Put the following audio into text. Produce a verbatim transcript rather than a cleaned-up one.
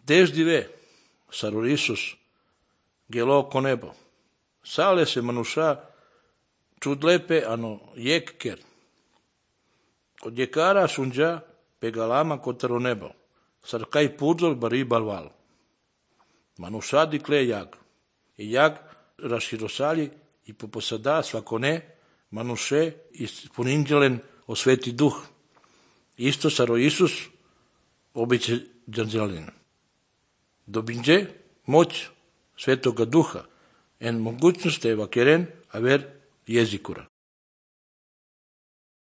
Desde Saror Isus gelo con nebo. Sale se manusha čudlepe ano jekker. Od jekara sunja pegalama kotaro nebo. Sarkai pudzol bari balval. Manusha dikle jak. I jak raširosali i poposada svakone manuše ispuninđelen o Sveti Duh. Isto Saror Isus običe džanđelin. Dobinđe moć Svetoga Duha en mogućnost evakeren aver jezikura.